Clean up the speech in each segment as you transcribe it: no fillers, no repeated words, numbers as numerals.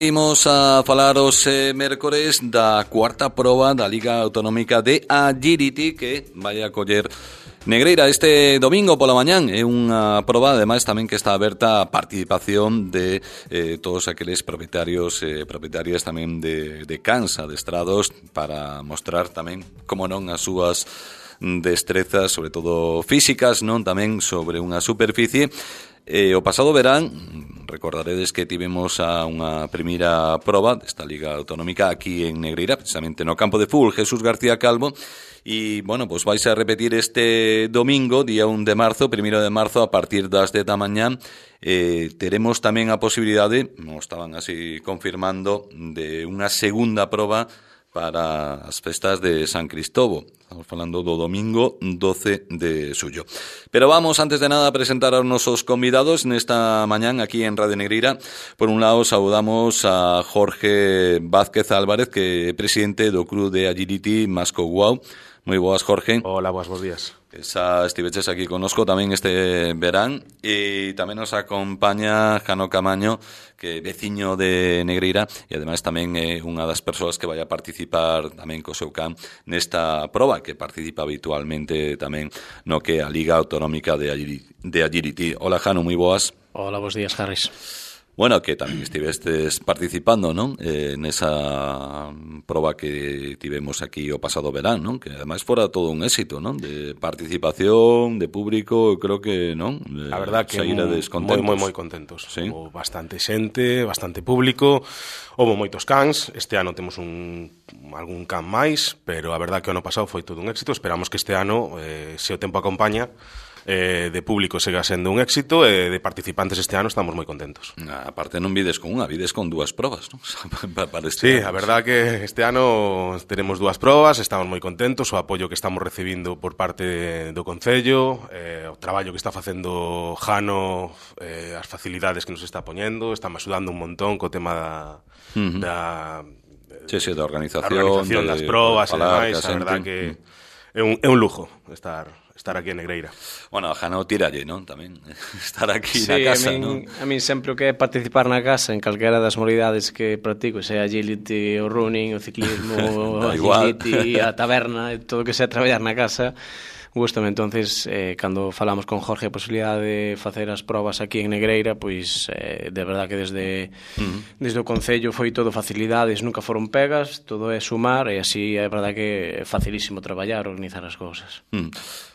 Imos a falar os mércores da cuarta proba da Liga Autonómica de Agility que vai a coller Negreira este domingo pola mañán. É unha proba, ademais, tamén que está aberta a participación de todos aqueles propietarios e propietarias tamén de cans adestrados para mostrar tamén, como non, as súas destrezas, sobre todo físicas, non tamén sobre unha superficie. O pasado verán, recordaredes que tivemos a unha primeira proba desta Liga Autonómica aquí en Negreira, precisamente no campo de fútbol Jesús García Calvo, e, bueno, pues vais a repetir este domingo, día 1 de marzo, 1 de marzo, a partir das 10 da mañán. Teremos tamén a posibilidade, nos estaban así confirmando, de unha segunda proba para as festas de San Cristóbal. Estamos falando do domingo 12 de xullo. Pero vamos, antes de nada, a presentar aos nosos convidados nesta mañán aquí en Radio Negreira. Por un lado, saudamos a Jorge Vázquez Álvarez, que é presidente do Club de Agility Masco Guau. Moi boas, Jorge. Hola, bos días. Estiveches aquí connosco tamén este verán, e tamén nos acompaña Jano Camaño, que é veciño de Negreira e ademais tamén é unha das persoas que vai a participar tamén co seu can nesta proba, que participa habitualmente tamén no que é a Liga Autonómica de Agility. Hola, Jano, moi boas. Hola, bos días, Harris. Bueno, que tamén estivestes participando, non? Nesa proba que tivemos aquí o pasado verán, non? Que ademais fora todo un éxito, non? De participación, de público, creo que, non? A verdad que moi contentos. Sí? Houve bastante xente, bastante público, houve moitos cans. Este ano temos algún can máis, pero a verdad que o ano pasado foi todo un éxito. Esperamos que este ano, se o tempo acompaña, de público siga sendo un éxito, e de participantes este ano estamos moi contentos. Aparte non vides con unha, vides con dúas probas, non? Sí, a verdad que este ano teremos dúas probas, estamos moi contentos, o apoio que estamos recibindo por parte do Concello, o traballo que está facendo Jano, as facilidades que nos está poñendo, estamos axudando un montón co tema da organización das probas e demais. A verdad que é un lujo estar aquí en Negreira. Bueno, a Jano tiralle, non? Tamén estar aquí sí, na casa, non? A min sempre o que é participar na casa en calquera das modalidades que practico, sea agility, o running, o ciclismo, o agility, a taberna, todo o que sea traballar na casa, gústame. Entonces, cando falamos con Jorge a posibilidade de facer as probas aquí en Negreira, pois de verdad que desde o Concello foi todo facilidades, nunca foron pegas, todo é sumar, e así é verdad que é facilísimo traballar, organizar as cousas.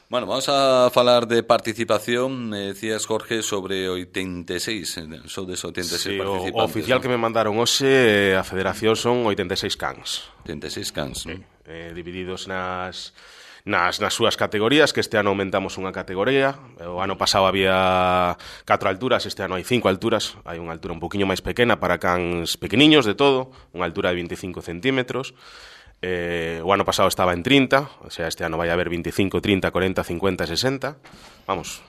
Bueno, vamos a falar de participación. Decías, Jorge, sobre 86, sodes 86 sí, participantes. O oficial, ¿no?, que me mandaron hoxe, a federación, son 86 cans. 86 cans, sí. Divididos nas súas categorías, que este ano aumentamos unha categoría. O ano pasado había 4 alturas, este ano hai 5 alturas. Hai unha altura un poquinho máis pequena para cans pequeniños de todo, unha altura de 25 centímetros. O ano pasado estaba en 30, o sea, este ano vai haber 25, 30, 40, 50, 60. Vamos,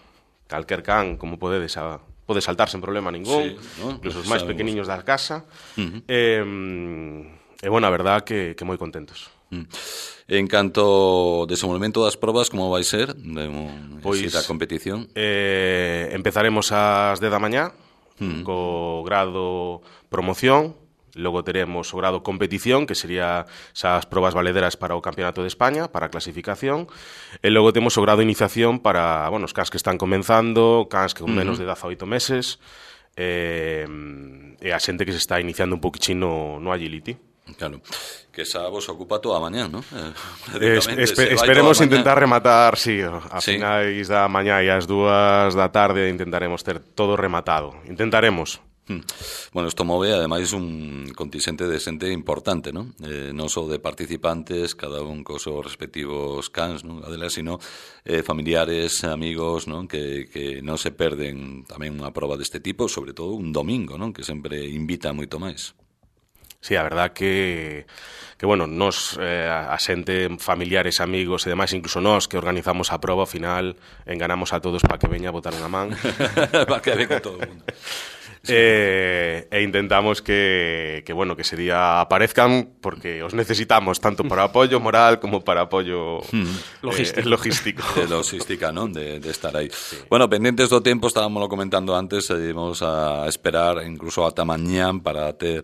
calquer can, como pode saltar sen problema ningún, sí, ¿no? Incluso os máis pequeniños da casa. Bueno, a verdad que moi contentos. En canto ao desenvolvemento das probas, como vai ser? Pois a competición? Empezaremos ás 10 da mañá, co grado promoción. Logo teremos o grado competición, que sería esas probas valederas para o Campeonato de España, para a clasificación. E logo temos o grado iniciación para, bueno, os cans que están comenzando, cans que con menos de 18 meses, e a xente que se está iniciando un poquichino no agility. Claro, que esa vos ocupa toda a mañán, non? Esperemos intentar rematar, sí, a finais da mañá e ás 2 da tarde intentaremos ter todo rematado. Intentaremos. Bueno, isto move, ademais, un contingente de xente importante, non? Non só de participantes, cada un cos seus respectivos cans, non? Adela, sino familiares, amigos, non? Que non se perden tamén unha proba deste tipo, sobre todo un domingo, non? Que sempre invita moito máis. Sí, a verdad que bueno, nos, a xente, familiares, amigos e demais, incluso nós que organizamos a proba, ao final enganamos a todos para que veña a botar unha man. Para que venga todo o mundo. e intentamos que ese día aparezcan, porque os necesitamos tanto para apoio moral como para apoio logístico. De logística, non? De estar aí. Sí. Bueno, pendentes do tempo, estábamos comentando antes, íbamos a esperar incluso ata mañán para ter,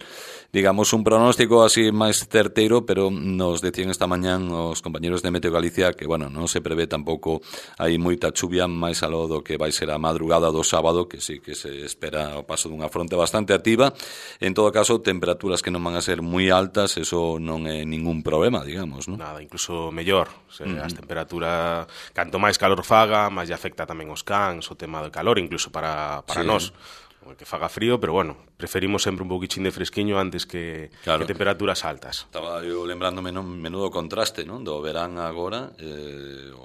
digamos, un pronóstico así máis certeiro, pero nos decían esta mañán os compañeros de Meteo Galicia que, bueno, non se prevé tampouco hai moita chuvia máis aló do que vai ser a madrugada do sábado, que sí que se espera o paso dunha fronte bastante activa. En todo caso, temperaturas que non van a ser moi altas, eso non é ningún problema, digamos, non? Nada, incluso mellor. As temperaturas, canto máis calor faga, máis lle afecta tamén os cans, o tema do calor, incluso para nós. Que faga frío, pero bueno, preferimos sempre un pouquichín de fresquiño antes que temperaturas altas. Estaba eu lembrándome, non, menudo contraste, non, do verán agora,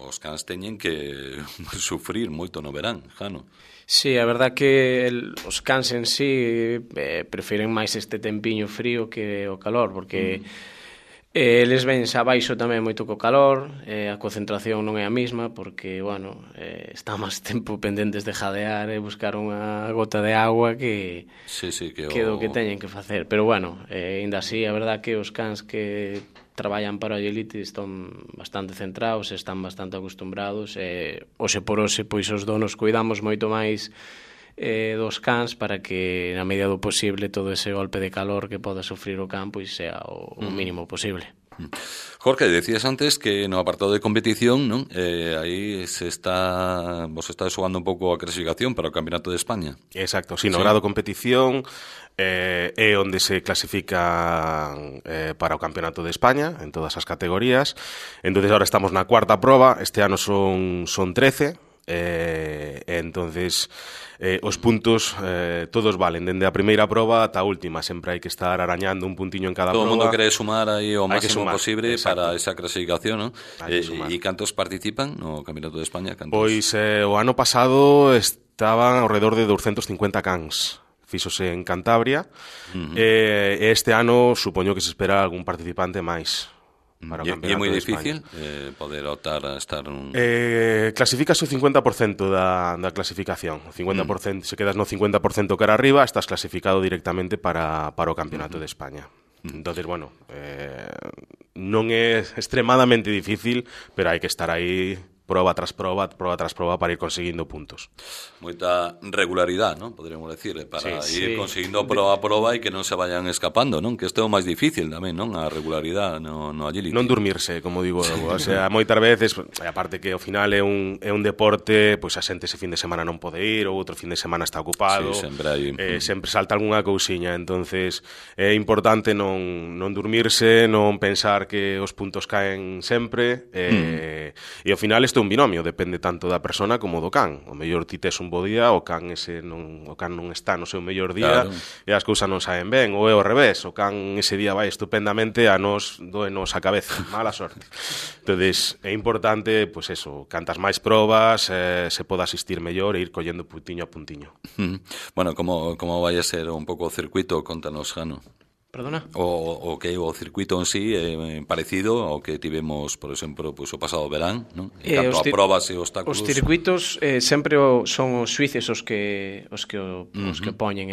os cans teñen que sufrir moito no verán, Jano. Sí, a verdad que os cans en sí prefiren máis este tempiño frío que o calor, porque eles vense abaixo tamén moito co calor, a concentración non é a mesma, porque, bueno, está máis tempo pendentes de jadear e buscar unha gota de agua que o que teñen que facer. Pero, bueno, ainda así, a verdad que os cans que traballan para o agility están bastante centrados, están bastante acostumbrados, hoxe por hoxe, pois os donos cuidamos moito máis dos cans para que na medida do posible todo ese golpe de calor que poda sufrir o can pois sea o mínimo posible. Jorge, decías antes que no apartado de competición, non? Aí vos está xogando un pouco a clasificación para o Campeonato de España. Exacto, no grado competición é onde se clasifican para o Campeonato de España en todas as categorías. Entonces ahora estamos na cuarta proba, este ano son 13. Entonces os puntos todos valen dende a primeira proba ata a última, sempre hai que estar arañando un puntiño en cada todo proba. Todo o mundo quere sumar aí o máximo posible, exacto, para esa clasificación, ¿no? E cantos participan no Campeonato de España? Cantos? Pois o ano pasado estaban ao redor de 250 cans. Fíxose en Cantabria. Este ano supoño que se espera algún participante máis. E é moi difícil poder optar a estar clasificas o 50% da clasificación. O 50%, se quedas no 50% cara arriba, estás clasificado directamente para o Campeonato de España. Entonces, bueno, non é extremadamente difícil, pero hai que estar aí proba tras proba para ir conseguindo puntos. Moita regularidade, ¿no? Podríamos decir, para ir conseguindo proba a proba e que non se vayan escapando, non? Que isto é o máis difícil tamén, non? A regularidade no agility. Non dormirse, como digo, o sea, moitas veces, aparte que ao final é un deporte, pois a xente ese fin de semana non pode ir, ou outro fin de semana está ocupado, sempre salta algunha cousiña, entonces é importante non dormirse, non pensar que os puntos caen sempre, e ao final isto é un binomio, depende tanto da persona como do can. O mellor ti tes un bo día, o can non está no seu mellor día, claro, e as cousas non saen ben, ou é ao revés, o can ese día vai estupendamente, a nos doenos a cabeza, mala sorte. Entonces, é importante, pois eso, cantas máis probas, se poda asistir mellor e ir collendo puntiño a puntiño. Bueno, como vai a ser un pouco o circuito, contanos, Jano. Perdona? O que o circuito en sí é parecido ao que tivemos, por exemplo, pois o pasado verán, non? En canto a probas e obstáculos. Os circuitos sempre son os suíces os que poñen,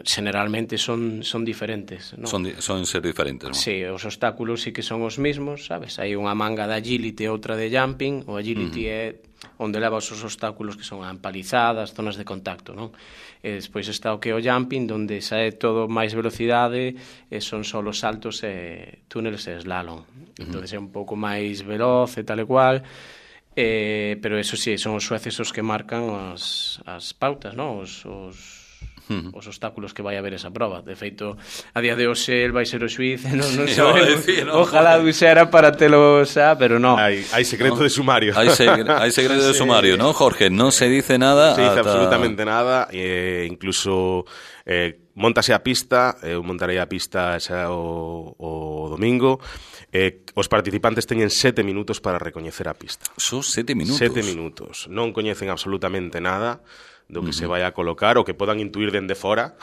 generalmente son diferentes, non? Son ser diferentes, non? Sí, os obstáculos sí que son os mismos, sabes? Hai unha manga de agility e outra de jumping. O agility é onde leva os obstáculos que son empalizadas, zonas de contacto, non? E despois está o que é o jumping, onde sae todo máis velocidade, e son só os saltos e túneles e slalom. Entón é un pouco máis veloz e tal e cual, pero eso sí, son os sueces os que marcan as pautas, non? Os obstáculos que vai haber esa proba. De feito, a día de hoxe el vai ser o xuiz, non sabemos. Ojalá dixera para telo xa, pero non. Hai secreto de sumario. Hai secreto de sumario, non, Jorge? Non se dice nada. Se dice absolutamente nada, incluso montase a pista, eu montarei a pista xa o domingo. Os participantes teñen 7 minutos para recoñecer a pista. Son 7 minutos? 7 minutos. Non coñecen absolutamente nada do que se vai a colocar, o que podan intuir dende fora,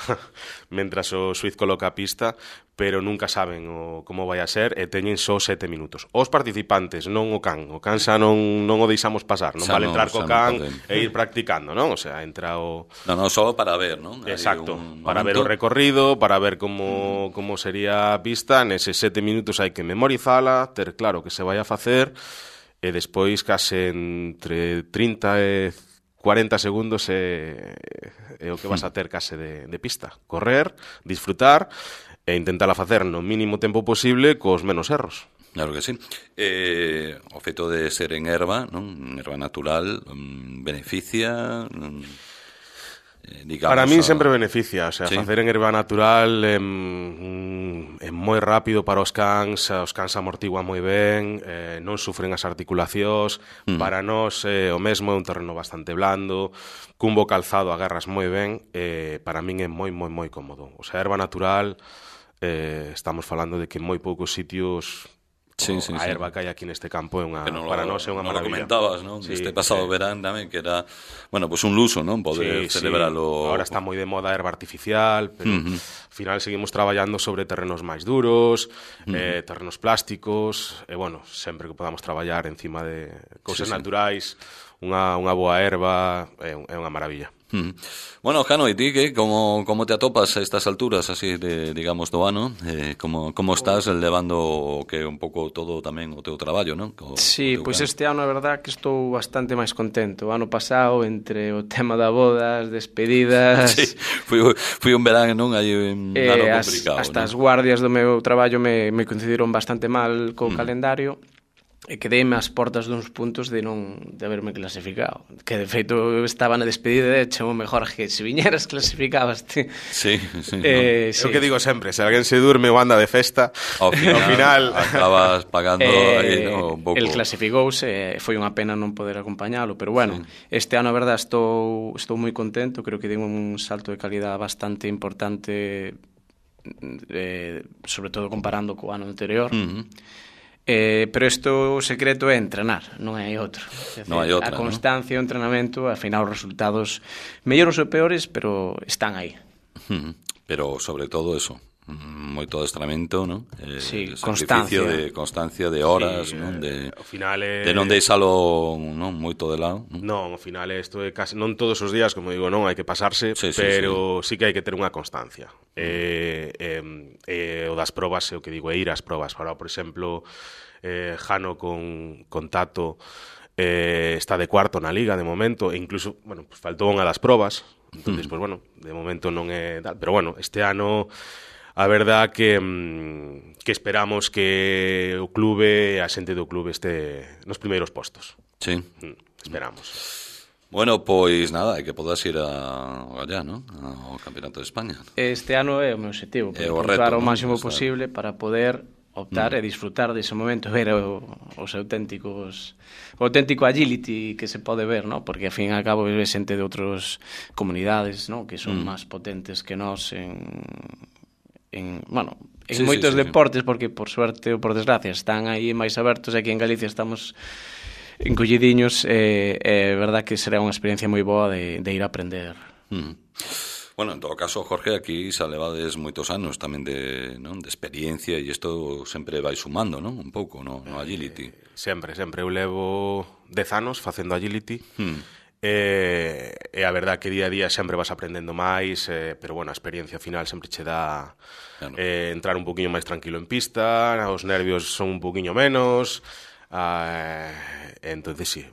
mentras o xuiz coloca a pista, pero nunca saben como vai a ser, e teñen só 7 minutos. Os participantes, non o can xa non o deixamos pasar, non vale entrar co can e ir practicando, non? O sea, entra o... Non, só para ver, non? Exacto, para ver o recorrido, para ver como sería a pista, neses 7 minutos hai que memorizala, ter claro que se vai a facer, e despois case entre 30 e 40 segundos é o que vas a ter case de pista. Correr, disfrutar e intentar facer no mínimo tempo posible cos menos erros. Claro que sí. O feito de ser en herba, non? Herba natural, beneficia... digamos, para min sempre beneficia, o sea, sí. Facer en herba natural é moi rápido para os cans amortiguan moi ben, non sufren as articulacións, para nós o mesmo é un terreno bastante blando, cun bo calzado agarras moi ben, para min é moi, moi, moi cómodo. O sea, herba natural, estamos falando de que en moi poucos sitios... a erva que hai aquí neste campo para nós é unha maravilla. Non lo comentabas, non? Sí, este pasado verán tamén que era, bueno, pues un luso, non? Poder celebrarlo. Ahora está moi de moda a erva artificial, pero ao final seguimos traballando sobre terrenos máis duros, terrenos plásticos, e bueno, sempre que podamos traballar encima de cousas naturais, unha boa erva é unha maravilla. Bueno, Jano, e ti que como te atopas a estas alturas así de, digamos, do ano? Como estás levando que un pouco todo tamén o teu traballo, non? Sí, pois este ano a verdad que estou bastante máis contento. O ano pasado, entre o tema da bodas, despedidas... Sí, fui un verán, non? Aí un ano complicado. Hasta as guardias do meu traballo me coincidiron bastante mal co calendario. E quedeime ás portas duns puntos de haberme clasificado. Que, de feito, eu estaba na despedida e chamo mellor que se viñeras clasificabaste. Sí. É o que digo sempre, se alguén se durme ou anda de festa, ao final acabas pagando aí, un pouco. El clasificouse, foi unha pena non poder acompañalo, pero bueno, este ano, a verdade, estou moi contento, creo que dei un salto de calidad bastante importante, sobre todo comparando co ano anterior. Pero isto o secreto é entrenar, non hai outro. A constancia e o entrenamento, ao final os resultados mellores ou peores, pero están aí. Pero sobre todo eso, moito adestramento, non? Sí, constancia de horas, non? Ao final de non deixalo, non, moito de lado. Non, ao final isto é casi non todos os días, como digo, non hai que pasarse, pero sí que hai que ter unha constancia. O das probas, é o que digo, é ir ás probas. Ahora, por exemplo, Jano con Tato está de cuarto na liga de momento, e incluso, bueno, pues faltou unha das probas, entonces, pues bueno, de momento non é tal, pero bueno, este ano a verdad que esperamos que o clube, a xente do clube este nos primeiros postos. Sí. Esperamos. Bueno, pois nada, é que podas ir allá, non? Ao Campeonato de España. Este ano é o meu objetivo, puntuar o máximo posible para poder optar e disfrutar dese momento, ver os auténticos, o auténtico agility que se pode ver, ¿no? Porque, ao fin e ao cabo, é xente de outras comunidades, ¿no? Que son máis potentes que nós en moitos deportes, porque, por suerte ou por desgracia, están aí máis abertos, e aquí en Galicia estamos encollidiños, é verdad que será unha experiencia moi boa de ir a aprender. Bueno, en todo caso, Jorge, aquí xa levades moitos anos tamén de experiencia, e isto sempre vai sumando, non? Un pouco no agility. Sempre. Eu levo 10 anos facendo agility, e a verdad que día a día sempre vas aprendendo máis, pero bueno, a experiencia final sempre che dá entrar un poquinho máis tranquilo en pista, os nervios son un poquinho menos... entonces sí,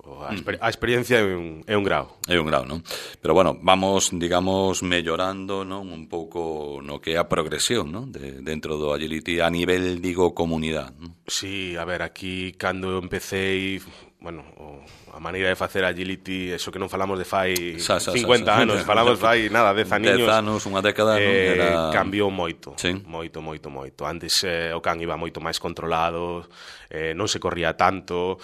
a experiencia é un grau. É un grau, non? Pero bueno, vamos, digamos, mellorando, non, un pouco no que é a progresión, non, dentro do agility a nivel, digo, comunidade, non? Sí, a ver, aquí cando empecé, bueno, a maneira de facer agility, eso que non falamos de fai 50 anos, falamos fai nada, 10 aniños. 10 anos, unha década, non? Cambiou moito, sí. moito. Antes o can iba moito máis controlado, non se corría tanto,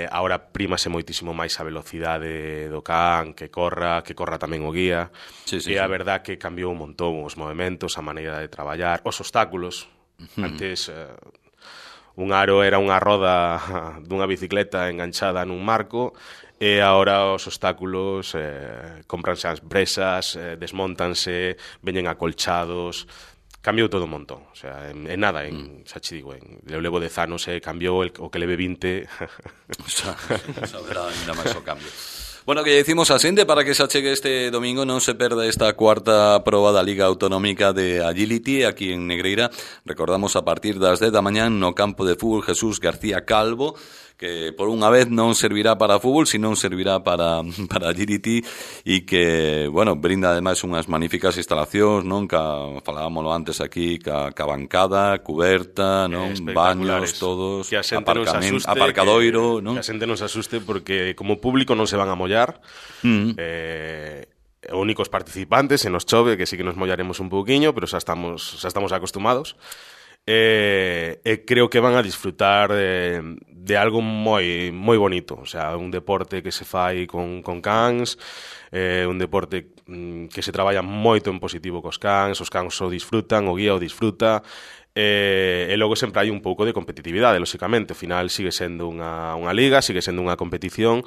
agora prímase moitísimo máis a velocidade do can, que corra tamén o guía, e a verdad que cambiou un montón os movementos, a maneira de traballar, os obstáculos. Antes... un aro era unha roda dunha bicicleta enganchada nun marco, e agora os obstáculos compranse as presas, desmontanse, veñen acolchados, cambiou todo un montón, o sea, en nada, xa che digo, eu levo 10 anos e cambiou o que leve 20. Xa verá ainda máis o cambio. Bueno, que decimos a xente para que se achegue este domingo, non se perda esta cuarta proba da Liga Autonómica de Agility aquí en Negreira. Recordamos a partir das 10 da mañán no campo de fútbol Jesús García Calvo, que por unha vez non servirá para fútbol, sino servirá para Agility, e que, bueno, brinda ademais unhas magníficas instalacións, non? Falábamoslo antes aquí, ca bancada, cuberta, non? Baños, todos, aparcadoiro, non? Que a xente non se asuste porque como público non se van a mollar, únicos participantes, se nos chove, que sí que nos mollaremos un pouquiño, pero xa estamos acostumados. Creo que van a disfrutar de algo moi bonito, o sea, un deporte que se fai con cans, un deporte que se traballa moito en positivo cos cans, os cans o disfrutan, o guía o disfruta, e logo sempre hai un pouco de competitividade, lóxicamente, ao final sigue sendo unha liga, sigue sendo unha competición,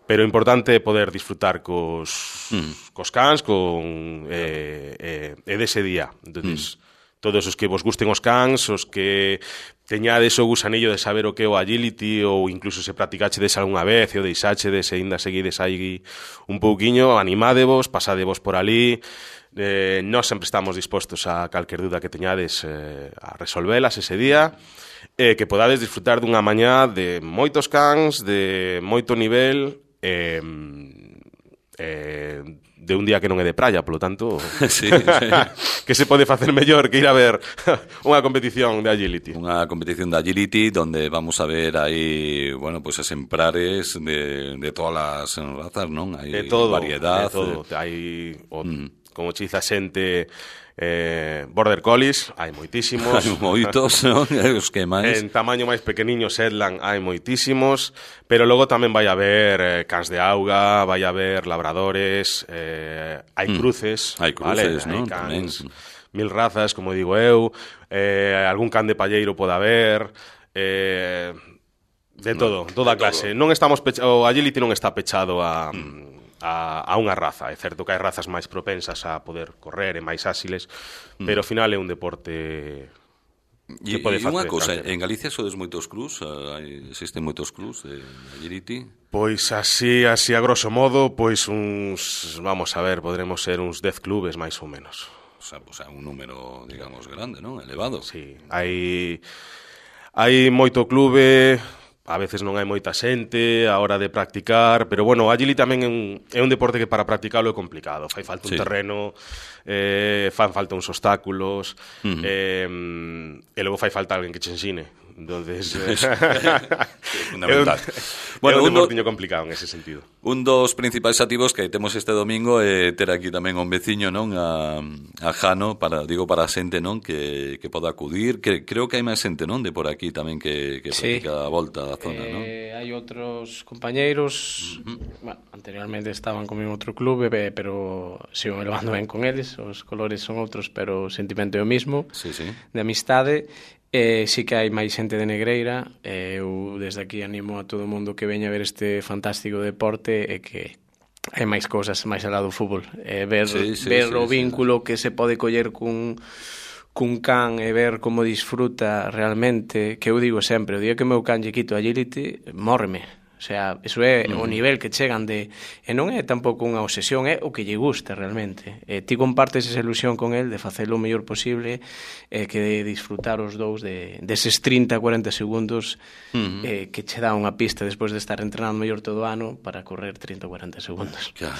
pero é importante poder disfrutar cos cans e dese día. Entonces, todos os que vos gusten os cans, os que teñades o gusanillo de saber o que é o agility, ou incluso se practicachedes algunha vez e o deixachedes e ainda seguides aí un pouquiño, animádevos, pasadevos por ali. Nós sempre estamos dispostos a calquer duda que teñades a resolvelas ese día, que podades disfrutar dunha mañá de moitos cans, de moito nivel, de un día que non é de praia, polo tanto, sí. que se pode facer mellor que ir a ver unha competición de agility. Unha competición de agility donde vamos a ver aí, bueno, pues exemplares de todas as razas, non? Hai variedade. De todo, hai, como che dice a xente, Border Collies, hai moitísimos. Hai moitos, non? Os que máis. En tamaño máis pequeniño, Shetland, hai moitísimos, pero logo tamén vai haber cans de auga, vai haber labradores, hai cruces. Hai cruces, vale? Non? Hai cans, 1000 razas, como digo eu, algún can de palleiro pode haber, de todo, toda clase. Non estamos o agility non está pechado a unha raza. É certo que hai razas máis propensas a poder correr e máis áxiles, pero ao final é un deporte que pode facer. E unha cousa, en Galicia sodes moitos clubs, existen moitos clubs de agility? Pois así a grosso modo, pois vamos a ver, podremos ser uns 10 clubes máis ou menos. O sea, un número, digamos, grande, non? Elevado. Sí, hai moito clube. A veces non hai moita xente a hora de practicar, pero bueno, o agility tamén é un deporte que para practicalo é complicado. Fai falta un terreno, fan falta uns obstáculos, e logo fai falta alguén que che ensine. Entonces, fundamental. É un deportiño complicado en ese sentido. Un dos principais activos que temos este domingo é ter aquí tamén un veciño, non? A Jano, para a xente, non? Que poda acudir. Creo que hai máis xente, non? De por aquí tamén que practica a volta da zona, non? Hai outros compañeiros, bueno, anteriormente estaban con outro clube, pero sigo me levando ben con eles, os colores son outros, pero o sentimento é o mismo, de amistade. Sí que hai máis xente de Negreira. Eu desde aquí animo a todo o mundo que veña a ver este fantástico deporte e que hai máis cousas máis alá do fútbol, ver o vínculo que se pode coller cun can e ver como disfruta realmente, que eu digo sempre, o día que meu can lle quito agility, mórreme. O sea, eso é o nivel que chegan de... E non é tampouco unha obsesión, é o que lle gusta realmente. Ti compartes esa ilusión con el de facelo o mellor posible, que de disfrutar os dous deses 30-40 segundos que che dá unha pista despois de estar entrenando mellor todo o ano para correr 30-40 segundos. Claro.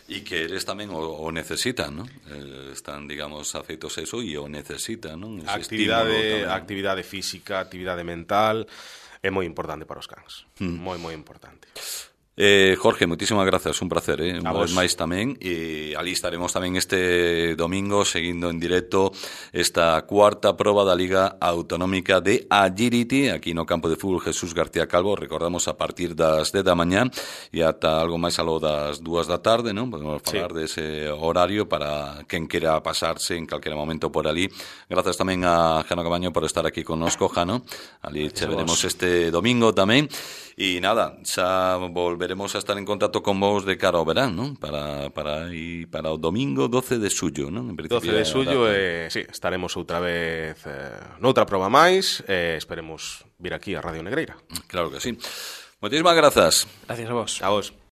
E que eles tamén o necesitan, non? Están, digamos, afeitos a eso e o necesitan, non? Actividade física, actividade mental... É moi importante para os cans, moi importante. Jorge, moitísimas grazas, un placer, unha vez máis tamén, e ali estaremos tamén este domingo seguindo en directo esta cuarta proba da Liga Autonómica de Agility aquí no campo de fútbol Jesús García Calvo, recordamos a partir das 10 da mañá e ata algo máis alo das 2 da tarde, non? Podemos falar dese horario para quen quera pasarse en calquera momento por ali. Grazas tamén a Jano Cabaño por estar aquí connosco, Jano. Ali che veremos este domingo tamén. E nada, xa volveremos a estar en contacto con vos de cara ao verán, non? Para o domingo 12 de xullo, non? 12 de xullo, sí, estaremos outra vez noutra proba máis, esperemos vir aquí a Radio Negreira. Claro que sí. Moitísimas grazas. Gracias a vos. A vos.